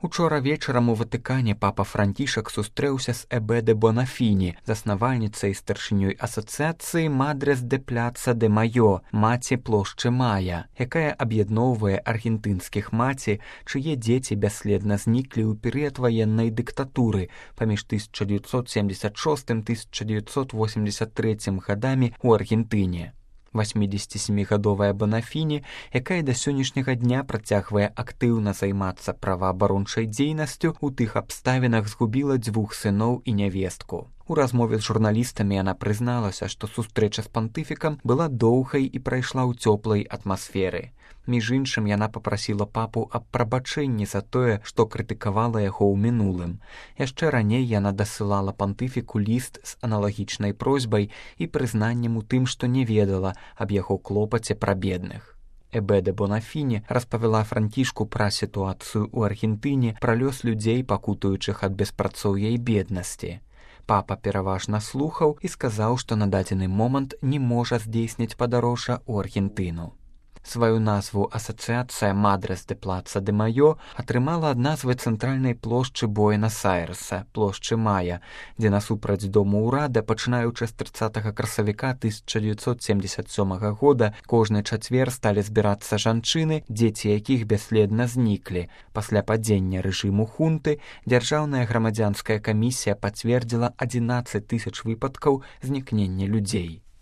Учора вечарам у Ватыкане папа Францішак сустрэўся з Эбе де Бонафіні, заснавальніцай і старшынёй асацыяцыі Мадрес де Пляца де Майо, маці плошчы Мая, якая аб'ядноўвае аргентынскіх маці, чые дзеці бясследна зніклі ў перыяд ваеннай дыктатуры паміж 1976-1983 гадамі ў Аргентыне. 87-гадовая Бонафіні, якая да сённяшняга дня працягвае актыўна займацца праваабарончай дзейнасцю, у тых абставінах згубіла 2 сыноў і нявестку. У размове з журналістамі яна прызналася, што сустрэча з пантыфікам была доўгай і прайшла ў цёплай атмасферы. Між іншым, яна папрасіла папу аб прабачэнні за тое, што крытыкавала яго ў минулым. Яшчэ раней яна дасылала пантыфіку ліст з аналагічнай просьбай і прызнаннем у тым, што не ведала аб яго клопаце пра бедных. Эбе де Бонафіні распавяла Францішку пра сітуацыю ў Аргентыне, пра лёс людзей, пакутуючых ад беспрацоўя і беднасці. Папа пераважна слухаў і сказаў, што на дадзены момант не можа здзейсніць падарожжа ў Аргентыну. Сваю назву асацыяцыя Мадрес де Плаца де Майо атрымала ад назвы цэнтральнай плошчы Буэнас-Айрэса, плошчы Мая, дзе насупраць дому ўрада, пачынаючы з 30 красавіка 1977 года, кожны чацвер сталі збірацца жанчыны, дзеці якіх бясследна зніклі. Пасля падзення рэжыму хунты дзяржаўная грамадзянская камісія пацвердзіла 11 000 выпадкаў знікнення людзей.